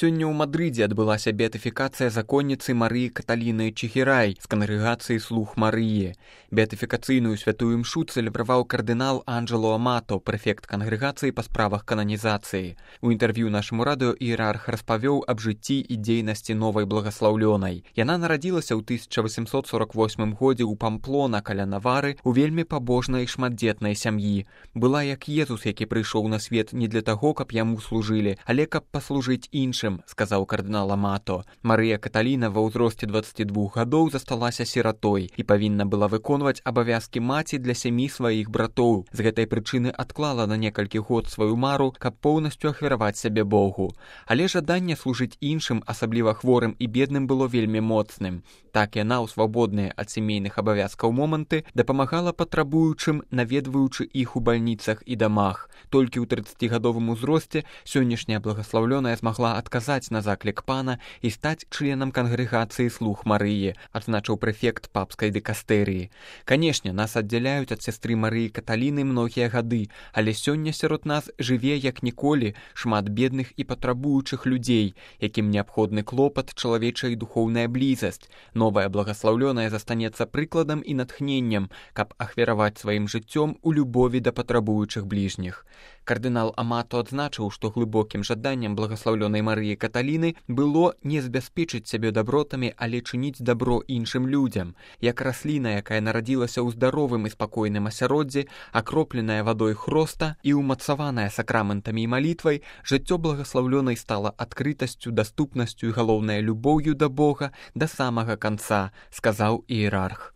Сёння ў Мадрыдзе адбылася беатыфікацыя законніцы Марыі Каталіны Чехірай з кангрэгацыі «Слуг Марыі». Беатыфікацыйную святую імшу цэлебраваў кардынал Анджело Амато, прэфект кангрэгацыі па справах кананізацыі. У інтэрв'ю нашаму радыё іерарх распавёў аб жыцці і дзейнасці новай благаслаўлёнай. Яна нарадзілася ў 1848 годзе ў Памплона каля Навары у вельмі пабожнай шматдзетнай сям'і. Была як Езус, які прыйшоў на свет не для таго, каб яму служылі, але каб паслужыць іншым, сказаў кардынал Амато. Марыя Каталіна ва ўзросце 22 гадоў засталася сіратой і павінна была выконваць абавязкі маці для сямі сваіх братоў. З гэтай прычыны адклала на некалькі год сваю мару, каб поўнасцю ахвяраваць сябе Богу. Але жаданне служыць іншым, асабліва хворым і бедным, было вельмі моцным. Так яна ў свабодныя ад сямейных абавязкаў моманты дапамагала патрабуючым, наведваючы іх у бальніцах і дамах. Толькі ў 30гадовым узросце сённяшняя благаслаўлёная змагла адказаць на заклік пана і стаць членам кангрэгацыі «Слуг Марыі», адзначыў прэфект папскай дыкастэрыі. Канешне, нас аддзяляюць ад сястры Марыі Каталіны многія гады, але сёння сярод нас жыве як ніколі шмат бедных і патрабуючых людзей, якім неабходны клопат, чалавечая і духоўная блізасць. Новая благаслаўлёная застанецца прыкладам і натхненнем, каб ахвяраваць сваім жыццём у любові да патрабуючых бліжніх. Кардынал Амато адзначыў, што глыбокім жаданнем благаслаўлёнай Марыі Каталіны было не забяспечыць сябе дабротамі, але чыніць дабро іншым людзям. Як расліна, якая нарадзілася ў здаровым і спакойным асяроддзі, акропленая вадой хроста і ўмацаваная сакраментамі і малітвай, жыццё благаслаўлёнай стала адкрытасцю, даступнасцю і галоўнае любоўю да Бога да самага канца, сказаў іерарх.